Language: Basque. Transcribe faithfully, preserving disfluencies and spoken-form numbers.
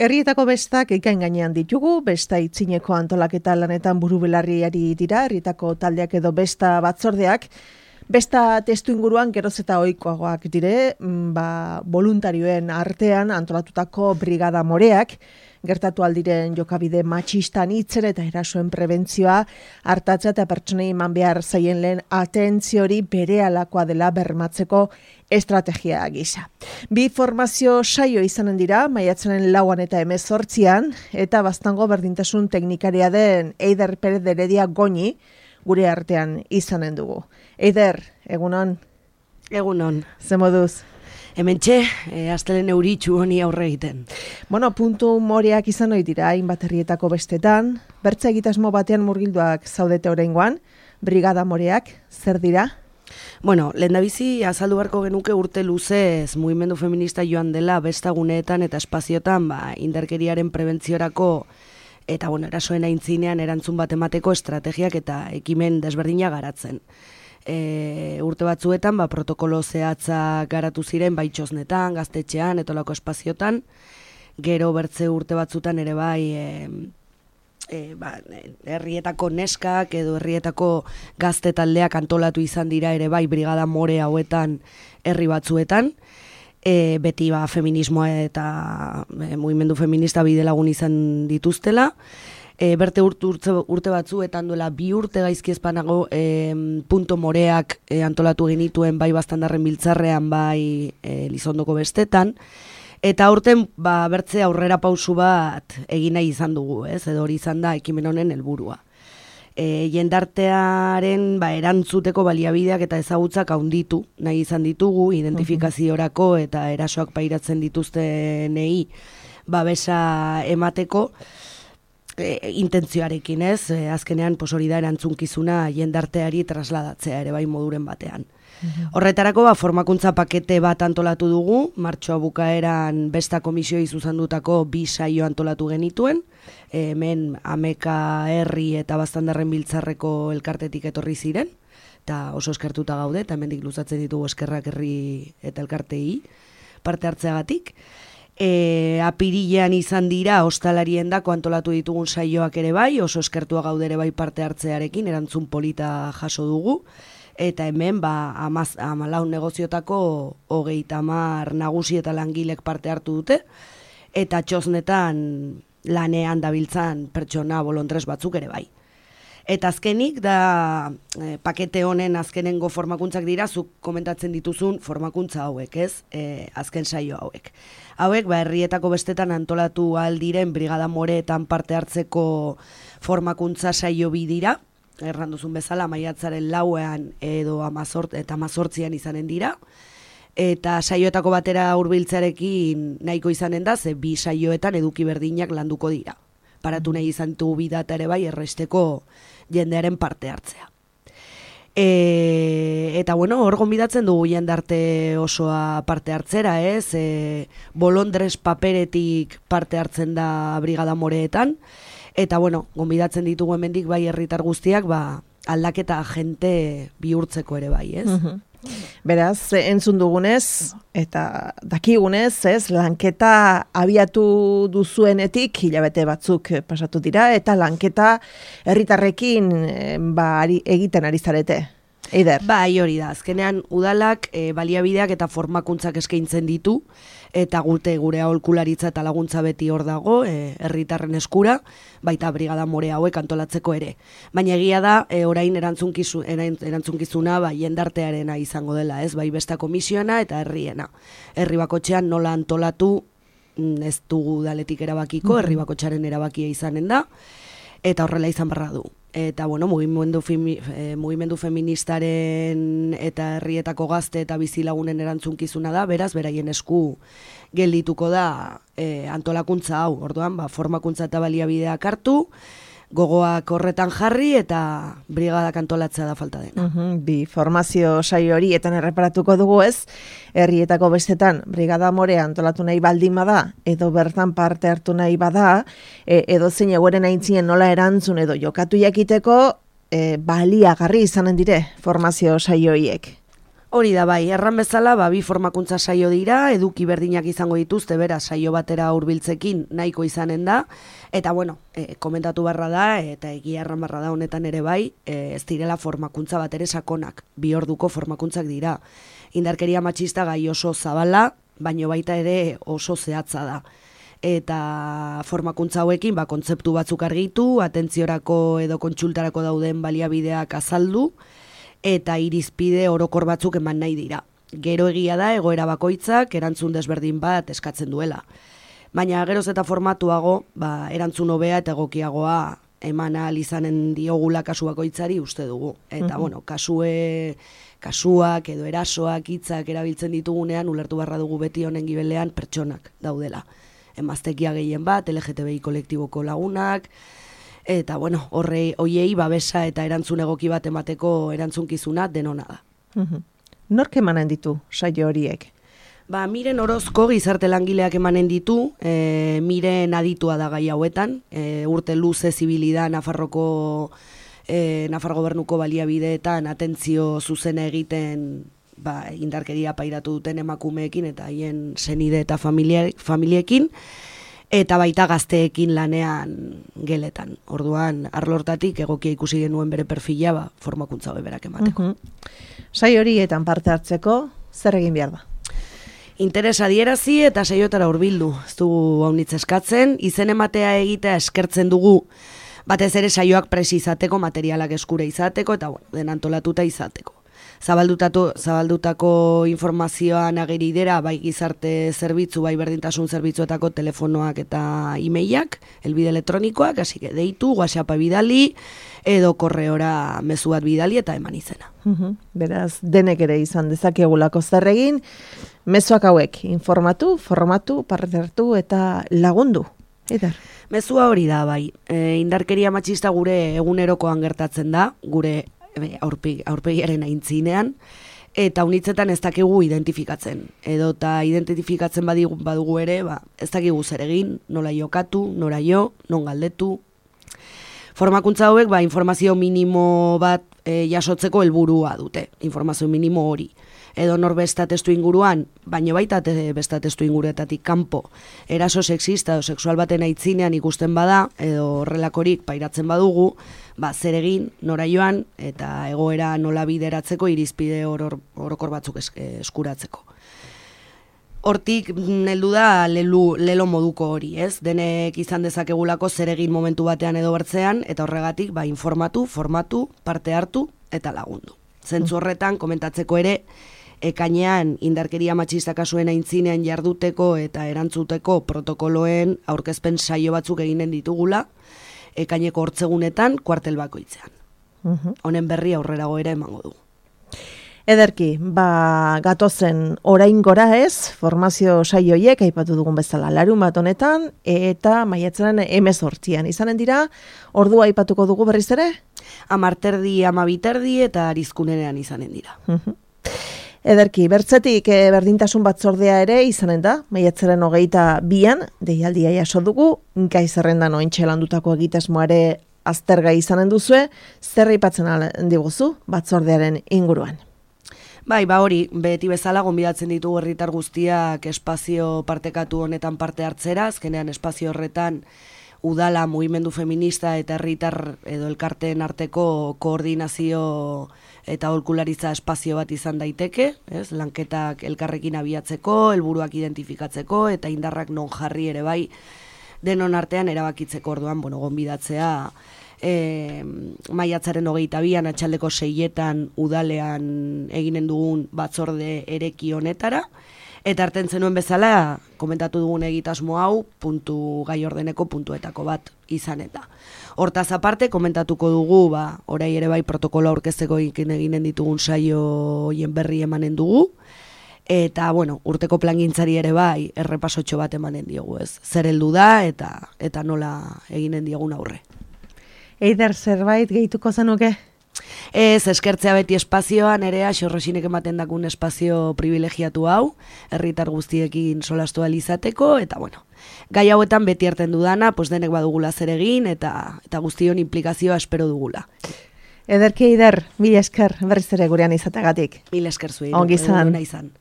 Herrietako bestak ikain gainean ditugu, besta itzineko antolaketa lanetan burubelarriari dira, herrietako taldeak edo besta batzordeak, besta testu inguruan geroz eta ohikoagoak dire, ba, voluntarioen artean antolatutako brigada moreak, gertatu aldiren jokabide matxistan hitzen eta erasoen prebentzioa hartatza eta pertsonei eman behar zaien lehen atentziori berealakoa dela bermatzeko estrategia gisa. Bi formazio saio izanen dira, maiatzaren lauan eta hemezortzian, eta Baztango berdintasun teknikaria den Eider Perez de Heredia Goñi gure artean izanen dugu. Eider, egunon? Egunon. Ze moduz? Hementxe, e, astelen euritxu honi aurre egiten. Bueno, puntu moreak izan ohi dira, hainbat herrietako bestetan, bertza egitasmo batean murgilduak zaudete oraingoan, brigada moreak, zer dira? Bueno, lehendabizi azaldu beharko genuke urte luzez mugimendu feminista joan dela bestaguneetan eta espaziotan ba, indarkeriaren prebentziorako eta bueno, erasoen aintzinean erantzun bat emateko estrategiak eta ekimen desberdina garatzen. E, urte batzuetan ba, protokolo zehatza garatu ziren bai txosnetan, gaztetxean, etolako espaziotan, gero bertze urte batzutan ere bai e, e, ba, herrietako neskak edo herrietako gazte taldeak antolatu izan dira ere bai brigada more hauetan herri batzuetan, e, beti ba, feminismoa eta e, mugimendu feminista bidelagun izan dituztela. E, berte urte, urte, urte batzuetan duela bi urte gaizki ezpanago e, punto moreak e, antolatu genituen bai Baztandarren biltzarrean bai e, Lizondoko bestetan, eta aurten ba, bertze aurrera pausu bat egin nahi izan dugu, ez? Edo hori izan da ekimen honen helburua. E, jendartearen ba, erantzuteko baliabideak eta ezagutzak handitu nahi izan ditugu, identifikaziorako eta erasoak pairatzen dituztenei babesa emateko, E, intentzioarekin ez, e, azkenean pos hori da erantzunkizuna jendarteari trasladatzea ere bai moduren batean. Mm-hmm. Horretarako ba, formakuntza pakete bat antolatu dugu, martxoa bukaeran besta komisioi zuzendutako bi saio antolatu genituen, e, hemen Ameka herri eta Baztandarren biltzarreko elkartetik etorri ziren, eta oso eskertuta gaude, eta hemendik luzatzen ditugu eskerrak herri eta elkartei parte hartzeagatik. E, apirilean izan dira hostalarien dako antolatu ditugun saioak ere bai, oso eskertua gaude ere bai parte hartzearekin, erantzun polita jaso dugu, eta hemen ba, amaz, amalaun negoziotako hogeita hamar nagusi eta langilek parte hartu dute, eta txosnetan lanean dabiltzan pertsona bolontres batzuk ere bai. Eta azkenik da e, pakete honen azkenengo formakuntzak dira, zuk komentatzen dituzun formakuntza hauek, ez? E, azken saio hauek. Hauek, ba, herrietako bestetan antolatu aldiren brigada moreetan parte hartzeko formakuntza saio bi dira, erranduzun bezala maiatzaren lauean edo amazort, eta amazortzian izanen dira, eta saioetako batera hurbiltzearekin nahiko izanen da, ze bi saioetan eduki berdinak landuko dira. Paratu nahi izan dugu bidata ere bai erresteko jendearen parte hartzea. E, eta bueno, hor gonbidatzen dugu jendarte osoa parte hartzera, ez? E, bolondres paperetik parte hartzen da brigada moreetan, eta bueno, gonbidatzen ditugu hemendik bai herritar guztiak, ba, aldaketa agente bihurtzeko ere bai, ez? Uh-huh. Beraz, entzun dugunez, eta dakigunez, ez, lanketa abiatu duzuenetik, hilabete batzuk pasatu dira, eta lanketa herritarrekin ba, ari, egiten ari zarete. Eider? Ba, hori da, azkenean udalak e, baliabideak eta formakuntzak eskaintzen ditu, eta gute gure aholkularitza eta laguntza beti hor dago, e, herritarren eskura, baita brigada more hauek antolatzeko ere. Baina egia da, e, orain erantzunkizu, erantzunkizuna ba, jendartearena izango dela, ez, bai besta komisioena eta herriena. Herri bakotxean nola antolatu ez dugu udaletik erabakiko, herri bakotxaren erabakia izanen da, eta horrela izan barra du. Eta, bueno, mugimendu, femi, eh, mugimendu feministaren eta herrietako gazte eta bizilagunen erantzunkizuna da, beraz, beraien esku geldituko da eh, antolakuntza hau. Orduan, ba, formakuntza eta baliabideak hartu, gogoak horretan jarri eta brigadak antolatzea da falta dena. Uhum, bi formazio saio horietan erreparatuko dugu ez, herrietako bestetan brigada more antolatu nahi baldin bada, edo bertan parte hartu nahi bada, e, edo zein egoeren aintzien nola erantzun edo jokatu jakiteko, e, baliagarri izanen dire formazio saio horiek. Hori da bai, erran bezala, ba, bi formakuntza saio dira, eduki berdinak izango dituzte, bera, saio batera hurbiltzekin nahiko izanen da, eta bueno, e, komentatu barra da, eta egia erran barra da honetan ere bai, e, ez direla formakuntza bat ere sakonak, bi orduko formakuntzak dira. Indarkeria matxista gai oso zabala, baino baita ere oso zehatza da. Eta formakuntza hauekin, ba, kontzeptu batzuk argitu, atentziorako edo kontsultarako dauden baliabideak azaldu, eta irizpide orokor batzuk eman nahi dira. Gero egia da, egoera bakoitzak erantzun desberdin bat eskatzen duela. Baina geroz eta formatuago, ba, erantzun hobea eta egokiagoa eman ahal izanen diogula kasu bakoitzari uste dugu. Eta, bueno, kasue, kasuak edo erasoak, hitzak erabiltzen ditugunean, ulertu barra dugu beti honen gibelean pertsonak daudela. Emaztekia gehien bat, L G T B I kolektiboko lagunak, eta, bueno, horrei, hoiei babesa eta erantzun egoki bat emateko erantzunkizuna denona da. Uhum. Nork emanen ditu saio horiek? Ba, Miren Orozko gizarte langileak emanen ditu, e, Miren aditua da gai hauetan, e, urte luze zibilida Nafarroko, e, Nafar gobernuko baliabideetan atentzio zuzena egiten ba, indarkeria pairatu duten emakumeekin eta haien senide eta familia, familiekin, eta baita gazteekin lanean geletan. Orduan, arlortatik egokia ikusi genuen bere perfila, ba, formakuntza berak emateko. Uhum. Sai horietan parte hartzeko, zer egin behar da? Interes adierazi eta saiotara hurbildu. Ez dugu haunitz eskatzen, izen ematea egitea eskertzen dugu, batez ere saioak presi izateko, materialak eskure izateko, eta bueno, den antolatuta izateko. Zabaldutako, zabaldutako informazioan ageridera, bai gizarte zerbitzu, bai berdintasun zerbitzuetako telefonoak eta e-mailak, elbide elektronikoak, hasi que deitu, WhatsAppa bidali, edo korreora mezu bat bidali eta eman izena. Uhum. Beraz, denek ere izan dezakegulako zer egin, mezuak hauek informatu, formatu, parte hartu eta lagundu. Eder. Mezua hori da, bai. E, indarkeria matxista gure egunerokoan gertatzen da, gure aurpegi, aurpegiaren aintzinean, eta unitzetan ez dakigu identifikatzen. Edo eta identifikatzen badigu, badugu ere, ba, ez dakigu zer egin, nola jokatu, nora jo, non galdetu. Formakuntza hauek, ba, informazio minimo bat e, jasotzeko helburua dute, informazio minimo hori. Edo nor besta testu inguruan, baino baita besta testu inguruetatik kanpo, eraso sexista edo sexual baten aitzinean ikusten bada, edo horrelakorik pairatzen badugu, ba, zer egin, nora joan, eta egoera nola bideratzeko irizpide oror, orokor batzuk es, eskuratzeko. Hortik heldu da lelu, lelo moduko hori, ez? Denek izan dezakegulako zer egin momentu batean edo bertzean, eta horregatik ba, informatu, formatu, parte hartu eta lagundu. Zentzu horretan komentatzeko ere, ekainean indarkeria matxista kasuen aintzinean jarduteko eta erantzuteko protokoloen aurkezpen saio batzuk eginen ditugula, ekaineko hortzegunetan kuartel bakoitzean. Uhum. Honen berri aurrerago ere emango du. Ederki, ba, gatozen orain gora ez, formazio saioiek aipatu dugun bezala larun bat honetan, eta maiatzaren hemezortzian izanen dira, ordua aipatuko dugu berriz ere? Amarterdi, amabiterdi eta arizkunenean izanen dira. Uhum. Ederki, bertzetik e, berdintasun batzordea ere izanen da, maiatzaren hogeita bian, deialdia jaso dugu, gai zerrendan ointxe landutako egitasmoare aztergai izanen duzue, zer aipatzen diguzu batzordearen inguruan? Bai, ba hori, beti bezala gonbidatzen ditugu herritar guztiak espazio partekatu honetan parte hartzera, azkenean espazio horretan udala, mugimendu feminista eta herritar edo elkarteen arteko koordinazio eta aholkularitza espazio bat izan daiteke, ez? Lanketak elkarrekin abiatzeko, helburuak identifikatzeko eta indarrak non jarri ere bai denon artean erabakitzeko. Orduan, bueno, gonbidatzea e, maiatzaren hogeita bian atxaldeko seietan udalean eginen dugun batzorde ereki honetara. Eta hartzen zenuen bezala, komentatu dugun egitasmo hau, puntu gai ordeneko puntuetako bat izan eta. Hortaz aparte, komentatuko dugu, ba, orai ere bai protokolo aurkezteko eginen ditugun saio hoien berri emanen dugu, eta, bueno, urteko plangintzari ere bai, errepasotxo bat emanen diogu, ez? Zer heldu da, eta, eta nola eginen diogun aurre. Eider, zerbait gehituko zenuke? Ez, eskertzea beti espazioan, ere xorrosinek ematen dakun espazio privilegiatu hau, herritar guztiekin solastu alizateko, eta bueno, gai hauetan beti hartzen dudana, pues denek badugula zer egin, eta, eta guztion implikazioa espero dugula. Ederki Eider, mila esker berriz ere gurean izateagatik. Mila esker zuei. Ongi izan. izan.